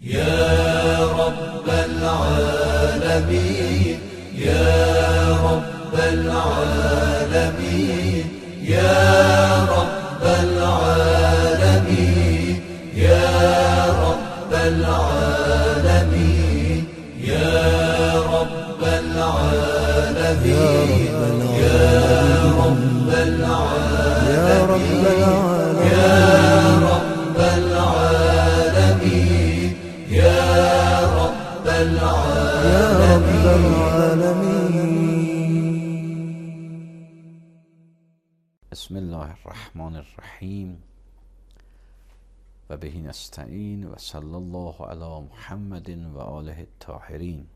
يا رب العالمين يا رب العالمين يا رب العالمين يا رب العالمين يا رب العالمين يا رب العالمين يا رب العالمين يا رب العالمين يا رب العالمين. بسم الله الرحمن الرحیم و به نستعین و صلی الله علی محمد و آله الطاهرین.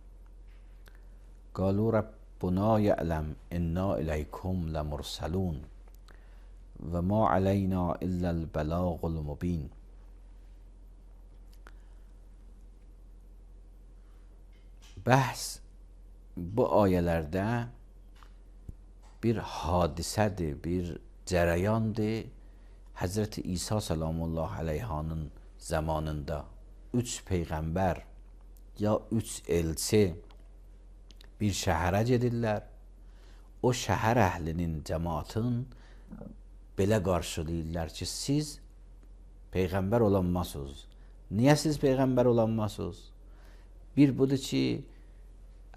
قالوا ربنا یعلم انا الیکم لمرسلون و ما علینا الا البلاغ المبین. Bəhs bu ayələrdə bir hadisədir, bir cərəyandır. Həzrəti İsa salamullah əleyhanın zamanında 3 peyğəmbər ya 3 elçi bir şəhərə gedirlər. O şəhər əhlinin, cəmaatın belə qarşılayırlar ki, siz peyğəmbər olanmasınız. Niyə siz peyğəmbər olanmasınız? Bir budur ki,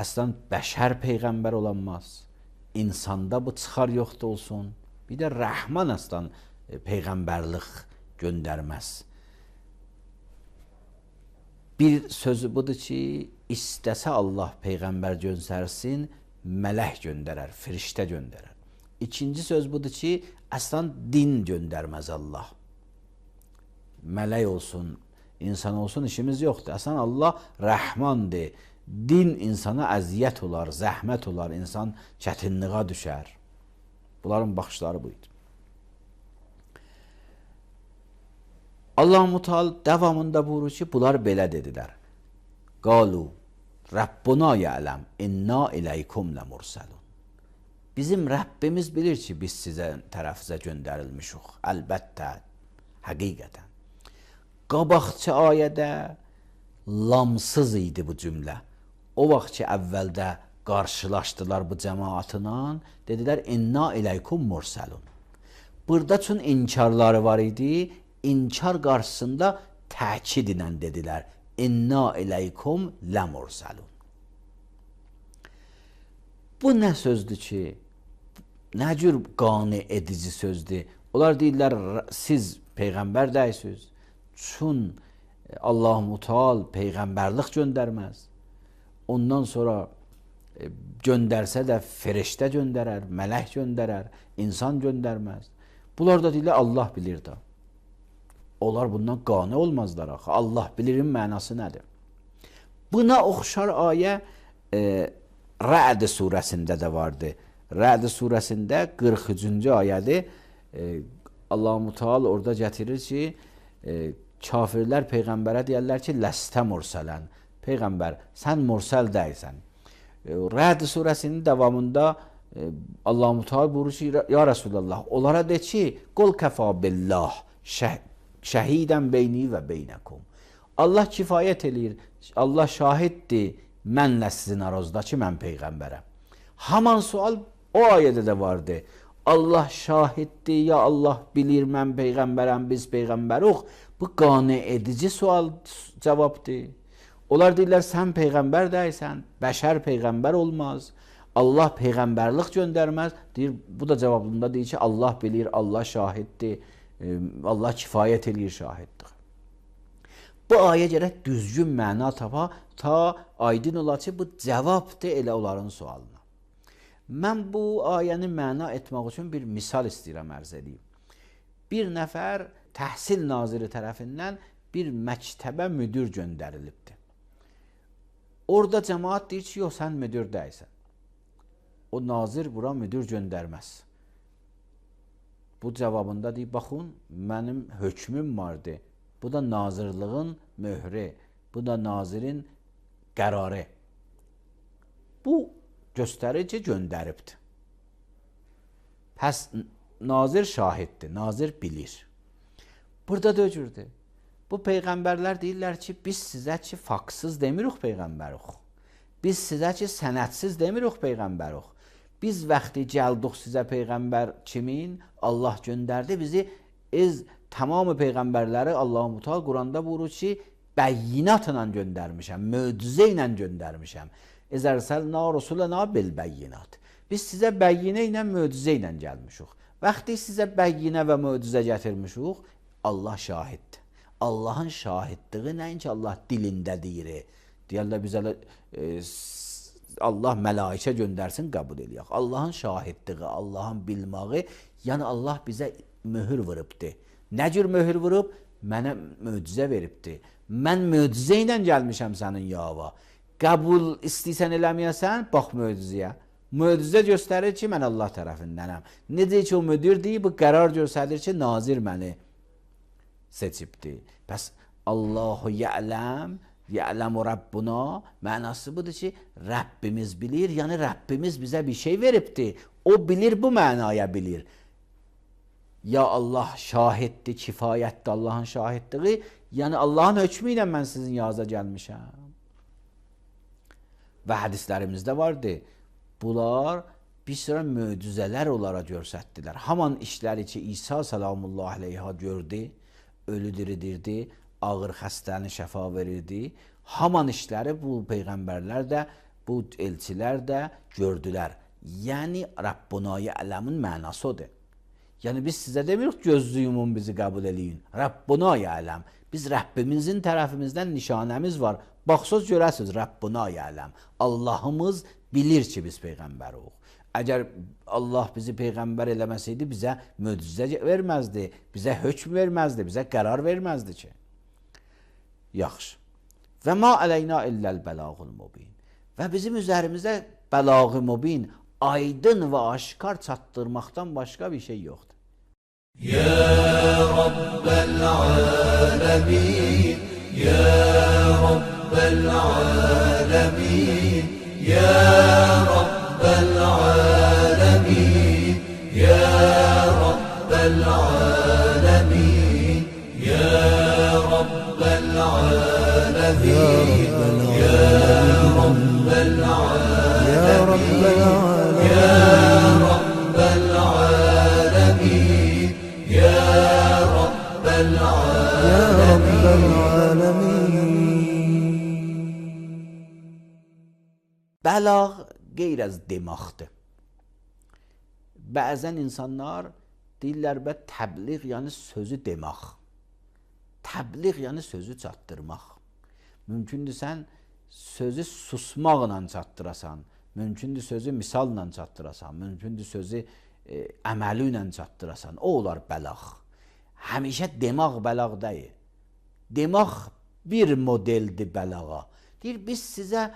əslən bəşər peyğəmbər olanmaz. İnsanda bu çıxar yoxdur olsun. Bir də Rəhman əslən peyğəmbərlik göndərməz. Bir sözü budur ki, istəsə Allah peyğəmbər göndərsin, mələk göndərər, firiştə göndərər. İkinci söz budur ki, əslən din göndərməz Allah. Mələk olsun, insan olsun işimiz yoxdur. Əslən Allah Rəhmandır. Din insana əziyyət olar, zəhmət olar, insan çətinliğə düşər. Bunların baxışları buydu. Allah-u Teala davamında buyurur ki, bunlar belə dedilər. Qalu Rabbuna ya'lem inna ileykum lemursalun. Bizim Rəbbimiz bilir ki, biz sizə tərəfizə göndərilmişik. Əlbəttə, həqiqətən. Qabaqçı ayədə lamsız idi bu cümlə. O vaxt ki, əvvəldə qarşılaşdılar bu cəmaatla, dedilər, inna ileykum mursalun. Burada çün inkarları var idi, inkar qarşısında təkid ilə dedilər, inna ileykum lemursalun. Bu nə sözdür ki, nə cür qane edici sözdür? Onlar deyirlər, siz peyğəmbər dəysiniz. Çün Allah-u Teala peyğəmbərlik göndərməz. Ondan sonra göndərsə də firiştə göndərər, mələk göndərər, insan göndərməz. Bunlar da deyirlər, Allah bilir də. Onlar bundan qane olmazlar axı. Allah bilirin mənası nədir? Buna oxşar ayə Rə'd surəsində də vardı. Rə'd surəsində 43-cü ayədir. Allah-u Teala orada gətirir ki, kafirlər peyğəmbərə deyərlər ki, ləstə mursələn. Peyğəmbər, sən mursəl deyilsən. Rə'd surəsinin davamında Allah-u Teala buyurur ki, ya Resulallah, onlara de ki, qul kəfa billah şəhidən beyni və beynəkum. Allah kifayət eləyir, Allah şahiddir mənlə sizin aranızda ki, mən peyğəmbərəm. Haman sual o ayədə də vardı. Allah şahiddir, ya Allah bilir mən peyğəmbərəm, biz peyğəmbəruq. Bu qane edici sual cavabdır. Onlar deyirlər, sən peyğəmbər deyilsən, bəşər peyğəmbər olmaz, Allah peyğəmbərlik göndərməz. Deyir, bu da cavabında deyir ki, Allah bilir, Allah şahiddir, Allah kifayət eləyir, şahiddir. Bu ayə gərək düzgün məna tapa, ta aydın ola ki, bu cavabdır elə onların sualına. Mən bu ayəni məna etmək üçün bir misal istəyirəm ərz edeyim. Bir nəfər təhsil naziri tərəfindən bir məktəbə müdür göndərilibdir. Orada cəmaat deyir ki, yox, sən müdür deyilsən. O nazir bura müdür göndərməz. Bu cavabında deyir, baxın, mənim hökmüm vardı. Bu da nazirliğin möhrü, bu da nazirin qərarı. Bu göstərir ki, göndəribdir. Pəs nazir şahiddir, nazir bilir. Burada da öcürdür. Bu peyğəmbərlər deyirlər ki, biz sizə ki faksız demirik peyğəmbərik. Biz sizə ki sənədsiz demirik peyğəmbərik. Biz vaxtı gəldik sizə peyğəmbər kimin? Allah göndərdi bizi. Tamamı peyğəmbərləri Allah-u Teala Quranda buyurur ki, bəyyinatla göndərmişəm, möcüzə ilə göndərmişəm. Ərzəlna rusulana bil bəyyinat. Biz sizə bəyyinə ilə, möcüzə ilə gəlmişik. Vaxtı sizə bəyyinə və möcüzə gətirmişik, Allah şahiddir. Allahın şahidliyi nəinki Allah dilində deyir. Deyirlər bizə Allah mələikə göndərsin, qəbul eləyək. Allahın şahidliyi, Allahın bilməyi, yəni Allah bizə möhür vurubdur. Nə cür möhür vurub? Mənə möcüzə veribdir. Mən möcüzə ilə gəlmişəm sənin yava. Qəbul istəyirsən eləməyəsən, bax möcüzəyə. Möcüzə göstərir ki, mən Allah tərəfindənəm. Necə ki o müdirdir, bu qərar göstərir ki, nazir məni seçibdir. Pəs Allahu ya'ləm, ya'ləmu Rabbuna mənası budur ki, Rəbbimiz bilir, yəni Rəbbimiz bizə bir şey veribdir. O bilir, bu mənaya bilir. Ya Allah şahiddir, kifayətdir Allahın şahidliyi, yəni Allahın hökmü ilə mən sizin yanınıza gəlmişəm. Və hədislərimizdə vardı. Bunlar bir sıra möcüzələr onlara göstərdilər. Haman işləri ki, İsa salamullah aleyha gördü, ölü diridirdi, ağır xəstəni şəfa verirdi. Haman işləri bu peyğəmbərlər də, bu elçilər də gördülər. Yəni Rabbunayı ələmin mənası odur. Yəni biz sizə demirik gözlü yumun bizi qəbul eləyin. Rabbunayı ələm. Biz Rəbbimizin tərəfimizdən nişanəmiz var. Baxsız görəsiniz Rabbunayı ələm. Allahımız bilir ki biz peyğəmbərik. Əgər Allah bizi peyğəmbər eləməsəydi bizə möcüzə verməzdi, bizə hökm verməzdi, bizə qərar verməzdi ki. Yaxşı. Və ma əleyna illəl bəlağul mubin. Və bizim üzərimizdə bəlağı mubin, aydın və aşkar çatdırmaqdan başqa bir şey yoxdur. Ya Rabbel alemin, Ya Rabbel alemin, Ya Rabbel alemin, Ya Rabbel alemin, Ya Rabbel alemin, Ya Rabbel alemin, Ya Rabbel alemin, Ya Rabbel alemin, Ya Rabbel alemin. Bəlağa qeyr az demaqdır. Bəzən insanlar deyirlər və təbliğ yəni sözü demək. Təbliğ yəni sözü çatdırmaq. Mümkündür sən sözü susmaqla çatdırasan, mümkündür sözü misalla çatdırasan, mümkündür sözü əməli ilə çatdırasan. O olar bəlağa. Həmişə demək bəlağa deyil. Demək bir modeldir bəlağa. Deyir biz sizə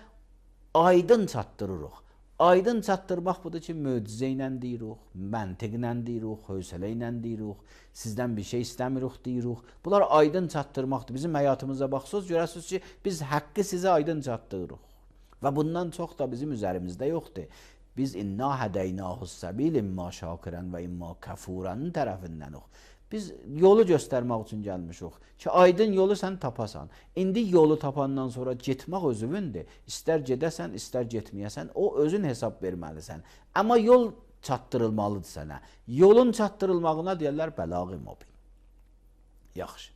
aydın çatdırırıq. Aydın çatdırmaq budur ki, möcüzə ilə deyirik, məntiqlə deyirik, hövsələ ilə deyirik, sizdən bir şey istəmirik deyirik. Bunlar aydın çatdırmaqdır. Bizim həyatımıza baxsınız, görəsiniz ki, biz haqqı sizə aydın çatdırırıq. Və bundan çox da bizim üzərimizdə yoxdur. Biz inna hədeynahus səbil imma şakirən və imma kəfurənin tərəfindənik. Biz yolu göstərmək üçün gəlmişik ki, aydın yolu sən tapasan. İndi yolu tapandan sonra getmək özünündür. İstər gedəsən, istər getməyəsən, o özün hesab verməlisən. Amma yol çatdırılmalıdır sənə. Yolun çatdırılmağına deyirlər bəlağı mubin. Yaxşı.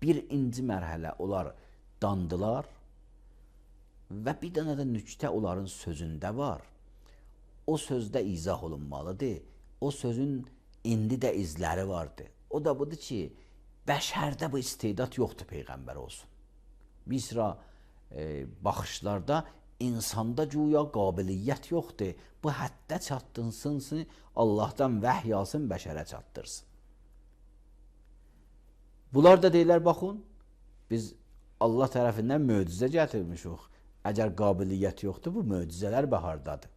Birinci mərhələ onlar dandılar və bir dənə də nüktə onların sözündə var. O sözdə izah olunmalıdır. O sözün indi də izləri vardır. O da budur ki, bəşərdə bu istedad yoxdur peyğəmbər olsun. Bir sıra baxışlarda insanda güya qabiliyyət yoxdur. Bu həddə çatdırsın, Allahdan vəhy alsın, bəşərə çatdırsın. Bunlar da deyirlər, baxın, biz Allah tərəfindən möcüzə gətirmişik. Əgər qabiliyyət yoxdur, bu möcüzələr bəhardadır.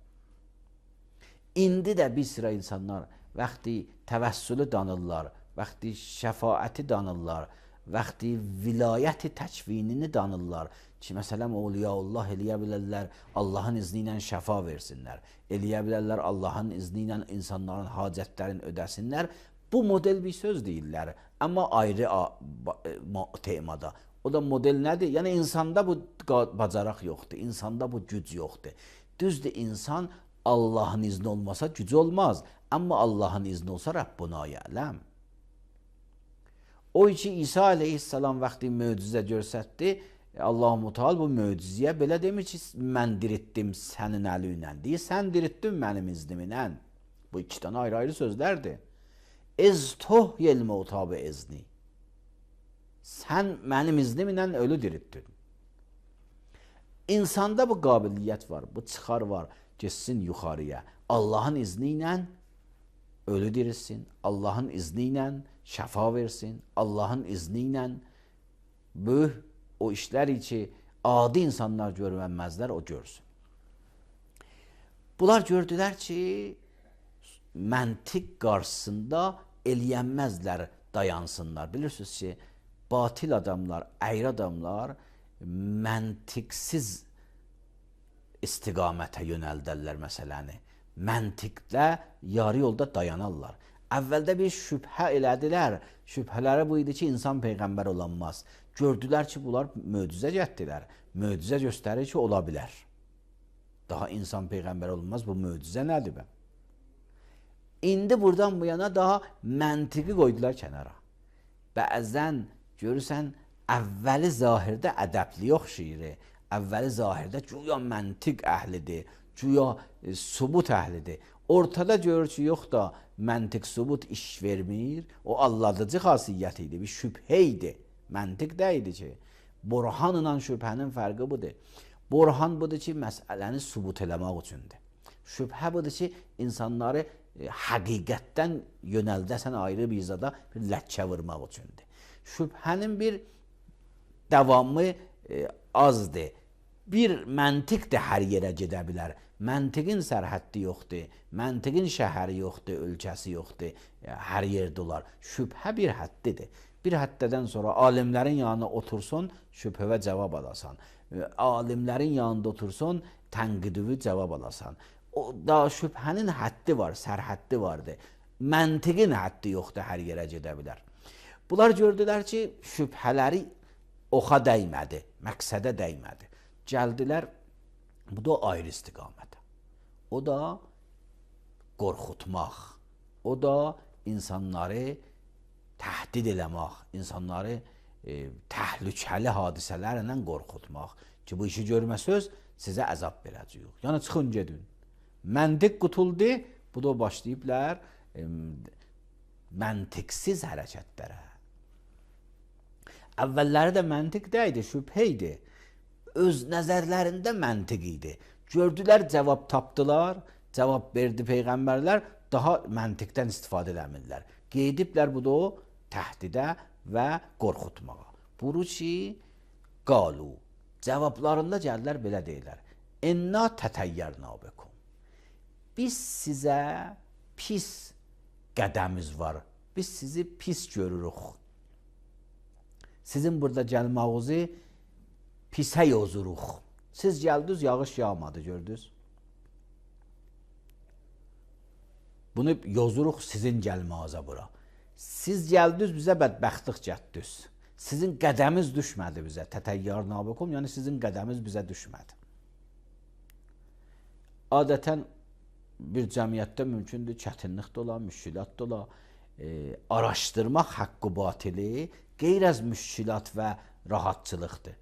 İndi də bir sıra insanlar vaxtı təvəssülü danırlar, vaxtı şəfaəti danırlar, vaxtı vilayəti təkvinini danırlar ki, məsələn, Awliyaullah eləyə bilərlər, Allahın izni ilə şəfa versinlər, eləyə bilərlər, Allahın izni ilə insanların hacətlərini ödəsinlər. Bu model bir söz deyirlər, amma ayrı temada. O da model nədir? Yəni insanda bu bacaraq yoxdur, insanda bu güc yoxdur. Düzdür, insan Allahın izni olmasa gücü olmaz, amma Allahın izni olsa Rabbuna yələm. O ki İsa aleyhissalam vaxtı möcüzə göstərdi, Allah-u Teala bu möcüzəyə belə demir ki, mən diritdim sənin əli ilə, deyir, sən diritdin mənim iznimlə. Bu iki dənə ayrı-ayrı sözlərdir. Ez tohyel mevta be izni. Sən mənim iznimlə ölü diritdin. İnsanda bu qabiliyyət var, bu çıxar var, geçsin yuxarıya. Allahın izni ilə ölü dirilsin, Allahın izni ilə şəfa versin, Allahın izni ilə böyük o işlər ki, adi insanlar görmənməzlər, o görsün. Bunlar gördülər ki, məntiq qarşısında eləyənməzlər, dayansınlar. Bilirsiniz ki, batil adamlar, əyri adamlar məntiqsiz istiqamətə yönəldərlər məsələni. Məntiqdə yarı yolda dayanarlar. Əvvəldə bir şübhə elədilər. Şübhələri bu idi ki, insan peyğəmbər olanmaz. Gördülər ki, bunlar möcüzə gətirdilər. Möcüzə göstərir ki, ola bilər. Daha insan peyğəmbər olmaz, bu möcüzə nədir bə? İndi buradan bu yana daha məntiqi qoydular kənara. Bəzən görürsən, əvvəli zahirdə ədəbli oxşayır. Əvvəli zahirdə güya məntiq əhlidir, güya subut əhlidir. Ortada görür ki, yox da məntiq subut iş vermir. O alladıcı xasiyyət idi, bir şübhə idi. Məntiq də idi ki, burhan ilə şübhənin fərqi budur. Burhan budur ki, məsələni subut eləmək üçündür. Şübhə budur ki, insanları həqiqətdən yönəldəsən ayrı bir zada bir ləkkə vurmaq üçündür. Şübhənin bir davamı azdır. Bir məntiq də hər yerə gedə bilər. Məntiqin sərhəddi yoxdur, məntiqin şəhəri yoxdur, ölkəsi yoxdur, hər yerdə olar. Şübhə bir həddidir. Bir həddədən sonra alimlərin yanına otursun, şübhəvə cavab alasan. Alimlərin yanında otursun, tənqidüvü cavab alasan. O da şübhənin həddi var, sərhəddi vardır. Məntiqin həddi yoxdur, hər yerə gedə bilər. Bunlar gördülər ki, şübhələri oxa dəymədi, məqsədə dəymədi. Gəldilər, bu da ayrı istiqamətə. O da qorxutmaq, o da insanları təhdid eləmək, insanları təhlükəli hadisələrlə qorxutmaq ki, bu işi görməsəz, sizə əzab verəcəyik. Yəni, çıxın, gedin. Məntiq qutuldu, bu da başlayıblar məntiqsiz hərəkətlərə. Əvvəlləri də məntiq deyildi, şübhə idi. Öz nəzərlərində məntiq idi. Gördülər, cavab tapdılar, cavab verdi peyğəmbərlər, daha məntiqdən istifadə eləmirlər. Qeydiblər bu da o təhdidə və qorxutmağa. Buru ki, qalu, cavablarında gəldilər, belə deyirlər. İnna tətəyyərna bekum. Biz sizə pis qədəmiz var, biz sizi pis görürük. Sizin burada gəlmağınızı pisə yozuruq. Siz gəldiniz, yağış yağmadı, gördünüz. Bunu yozuruq sizin gəlmağınıza bura. Siz gəldiniz, bizə bədbəxtlik gətdiniz. Sizin qədəmiz düşmədi bizə. Tətəyyərna bekum, yəni sizin qədəmiz bizə düşmədi. Adətən bir cəmiyyətdə mümkündür, çətinlik də ola, müşkilat da ola. Araşdırmaq haqqı batili qeyr-əz müşkilat və rahatçılıqdır.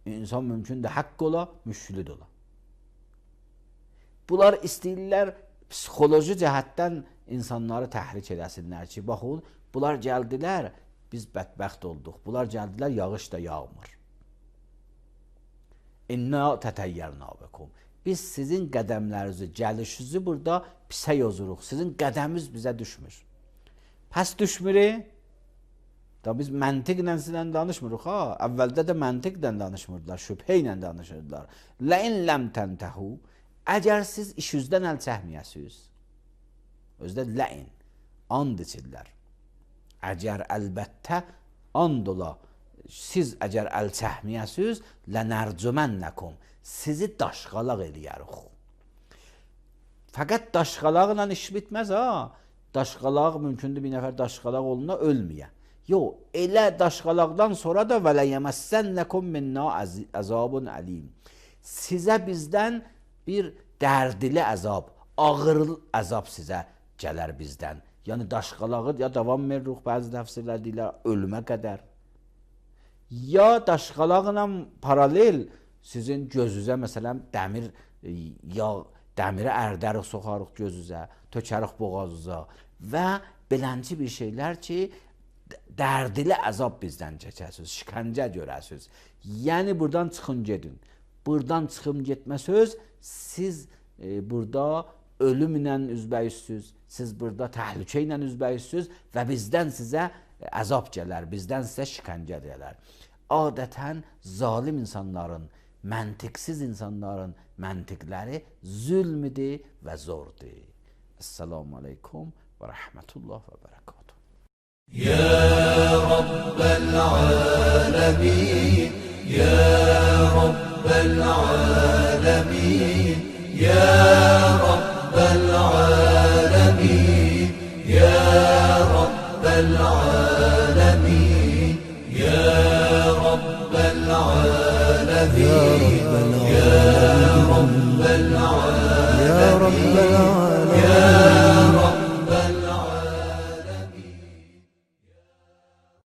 İnsan mümkündür, haqq ola, müşkili də ola. Bunlar istəyirlər, psixoloji cəhətdən insanları təhrik edəsinlər ki, baxın, bunlar gəldilər, biz bədbəxt olduq. Bunlar gəldilər, yağış da yağmır. İnna tətəyyərna bekum. Biz sizin qədəmlərinizi, gəlişinizi burada pisə yozuruq. Sizin qədəminiz bizə düşmür. Pəs düşmür. Da biz məntiqlə sizlə danışmırıq, ha? Əvvəldə də məntiqlə danışmırdılar, şübhə ilə danışırdılar. Ləin ləm təntəhu. Əgər siz işinizdən əl çəkməyəsiniz, özdə ləin, and içirlər. Əgər əlbəttə and ola, siz əgər əl çəkməyəsiniz, lənərcümənləkum. Sizi daşqalaq eləyərik. Fəqət daşqalaqla iş bitməz, ha? daşqalaq mümkündür bir nəfər daşqalaq oluna ölməyə. Yox, elə daşqalaqdan sonra da və ləyəməssənləkum minna əzabun əlim. Sizə bizdən bir dərdli əzab, ağır əzab sizə gələr bizdən. Yəni daşqalağı ya davam veririk, bəzi təfsirlər deyirlər ölümə qədər. Ya daşqalaqla paralel sizin gözünüzə məsələn dəmir ya dəmiri ərdərik, soxarıq gözünüzə, tökərik boğazınıza və belənci bir şeylər ki, dərdli əzab bizdən çəkəsiniz, şikəncə görəsiniz. Yəni buradan çıxın gedin. Buradan çıxın getmə söz, siz burada ölümlə üzbəyüzsüz, siz burada təhlükə ilə üzbəyüzsüz və bizdən sizə əzab gələr, bizdən sizə şikəncə gələr. Adətən zalim insanların, məntiqsiz insanların məntiqləri zülmüdür və zordur. Esselamu aleykum və rəhmətullah və bərəkatuhu. Ya Rabbel alemin, Ya Rabbel alemin, Ya Rabbel alemin, Ya Rabbel alemin, Ya Rabbel alemin.